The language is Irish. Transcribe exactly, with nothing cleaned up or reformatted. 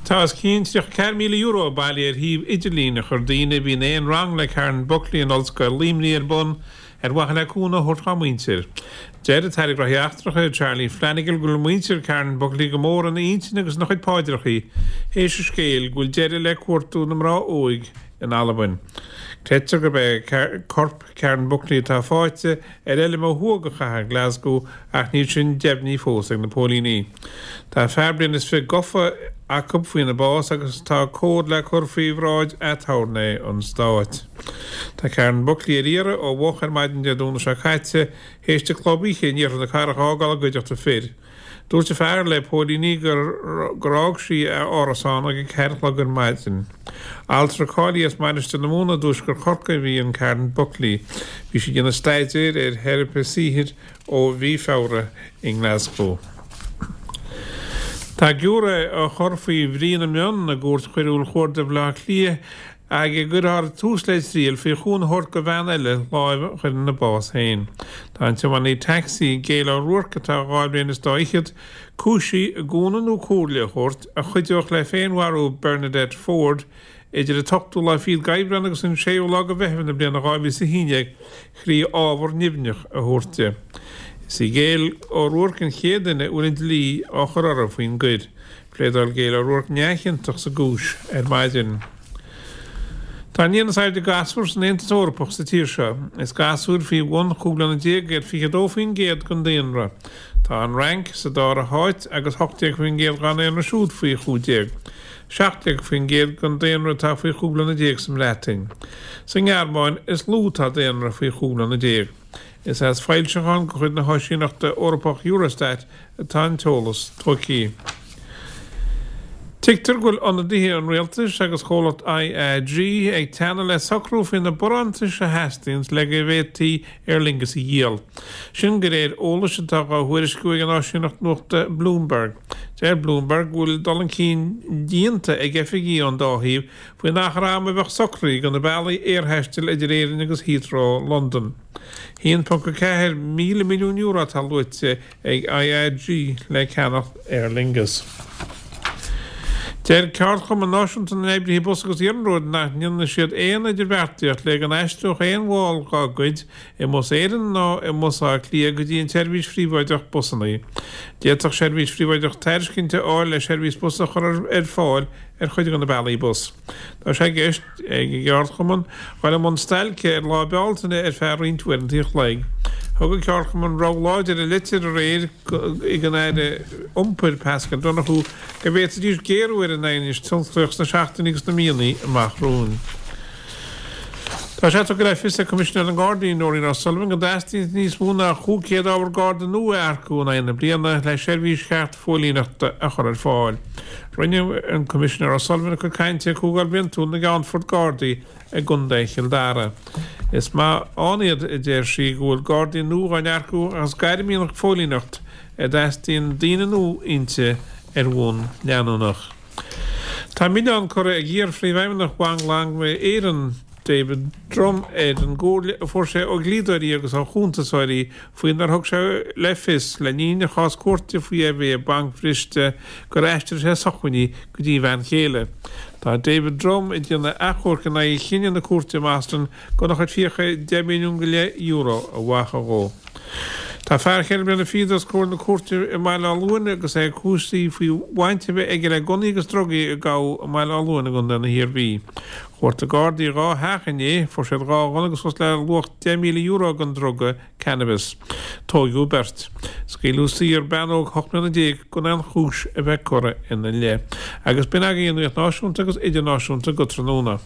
Tá os cionn tríocha ceathair míle euro bailithe ar shuíomh idirlín a chuir daoine a bhí in aon rang le Karen Buckley in Ollscoil Luimnigh ar bun ar mhaithe le cúnamh a thabhairt dá muintir. Deir an tAire Gnóthaí Eachtracha Charlie Flanagan go bhfuil muintir Karen Buckley go mór ina intinn agus ina chuid paidreacha théis an scéil go bhfuil deireadh le cuartú na mná óige in Albain. Creidtear gurb é corp Karen Buckley atá faighte ar fheilm ó thuaidh de chathair Glasgow ach níl sin deimhnithe fós ag na póilíní. Tá fear bliain is fiche gafa acu faoina bás agus tá comhad le cur faoi bhráid aturnae an stáit. Tá Karen Buckley ar iarraidh ó mhoch ar maidin Dé Domhnaigh seo caite théis di club oíche in iarthar na cathrach a fhágáil i gcuideachta fir. Dúirt a fear le póilíní gur gur fhág sí a árasán ag a ceathair a chlog ar maidin. Altra cáilithe as Mainistir na Mumhan i dtuaisceart Chorcaí a bhí in Karen Buckley. Bhí sí ag déanamh staidéir ar theiripe saothair ó mhí Feabhra i nGlasgow. Tá giúiré á chur faoi bhrí na mionn i gCúirt Choiriúil Chuarda Bhaile Átha Cliath ag a gcuirfear tús le triail faoi chúnamh a thabhairt do bhean eile láimh a chur ina bás féin. Tá an tiománaí tacsaí Gail O'Rourke atá dhá bhliain is dá fhichead cúisithe i gcúnamh nó comhairle a thabhairt a chuideodh le féinmharú Bernadette Ford idir an t-ochtú lá fichead d'Aibreán agus an séú lá de Mheitheamh na bliana dhá mhíle is a haon déag trí ábhar nimhneach a thabhairt di. Is í Gail O'Rourke an chéad duine a bhfuil an dlí á chur uirthi faoin gcoir. Phléadáil Gail O'Rourke neamhchiontach sa gcúis ar maidin. Tá an líon is airde gasúr san Aontas Eorpach sa tír seo. Is gasúir faoi bhun chúig bliana déag iad fiche a dó faoin gcéad den daonra. Tá an Fhrainc sa dara háit agus hocht déag faoin gcéad dá ndaonra siúd faoi chúig déag. Seacht déag faoin gcéad den daonra atá faoi chúig bliana déag sa mBreatain. Sa nGearmáin is lú atá daonra faoi chúig bliana déag. Is as foilseachán de chuid na hÁisíneachta Eorpach Eurostat atá an t-eolas tógtha. Tuigtear go bhfuil ionadaithe an rialtais agus chomhlacht IAG ag teannadh le socrú faoi na barántais a theastaíonn le go bhféadfaí Aer Lingus a dhíol. Sin de réir eolais atá á thuairisciú ag an áisíneacht nuachta Bloomberg. Deir Bloomberg go bhfuil dul chun cinn déanta ag oifigigh ón dá thaobh faoin achar ama a bheadh socraithe do na bealaí aerthaistil idir Éirinn agus Heathrow, Londain. haon ponc a ceathair míle milliún euro atá luaite ag IAG le ceannach Aer Lingus. Deir Ceardchumann Náisiúnta na nOibrithe Bus agus Iarnróid nach ndéanfaidh siad aon idirbheartaíocht le go n-aistreodh aon bhall dá gcuid i mBus Éireann ná i mBus Átha Cliath go dtí an tseirbhís phríobháideach busanna. D'fhéadfadh seirbhís phríobháideach tairiscint a fháil le seirbhís bus a chur ar fáil ar chuid de na bealaí bus. Tá sé i gceist ag an gceardchumann dul i mbun stailce ar Lá Bealtaine ar feadh roinnt uaireanta an chloig. Thug an ceardchumann rabhadh láidir i litir aréir chuig an Aire Iompair Paschal Donohoe go bhféadfaidís géarú ar an aighneas tionsclaíoch sna seachtainí agus na míonna amach romhainn. Tá sé tugtha le fios ag Coimisinéir na nGardaí, Nóirín O'Sullivan, go dteastaíonn níos mó ná chúig chéad ábhar Garda nua a earcú in aghaidh na bliana le seirbhís cheart phóilíneachta a chur ar fáil. Rinne an Coimisinéir O'Sullivan a cuid cainte ag Comhdháil Bhliantúil na gCeannfort Gardaí i gContae Chill Dara. Is maith ann iad, a deir sí, go bhfuil Gardaí nua á n-earcú ach is gairm í an phóilíneacht a dteastaíonn daoine nua inti ar bhonn leanúnach. Tá milleán curtha ag iar-phríomhfheidhmeannach Bhanc Láimhe Éireann, David Drumm, ar an gcomhairle a fuair sé ó dhlíodóirí agus ó chuntasóirí faoinar thug sé le fios le linn a chás cúirte faoi I V banc bhriste gur aistrigh sé sócmhainní go dtí a bhean chéile. Tá David Drumm ag déanamh achomhairc in aghaidh chinneadh na cúirte i mBoston gan a chuid fiacha deich milliún go leith euro a bhacadh dhó. Tá fear cheithre bliana fichead os comhair na cúirte i mBaile Átha Luain agus é cúisithe faoi bhaint a bheith aige le gunnaí agus drugaí a gabhadh i mBaile Átha Luain i gContae na hIarmhí. Chuartaigh Gardaí dhá theach inné, fuair siad dhá ghunna agus suas le luach deich míle euro den druga cannabis. Tóigeadh beirt. Scaoileadh saor bean óg ocht mbliana déag gan aon chúis a bheith curtha ina leith. Agus b'in agaibh an nuacht náisiúnta agus idirnáisiúnta go tráthnóna.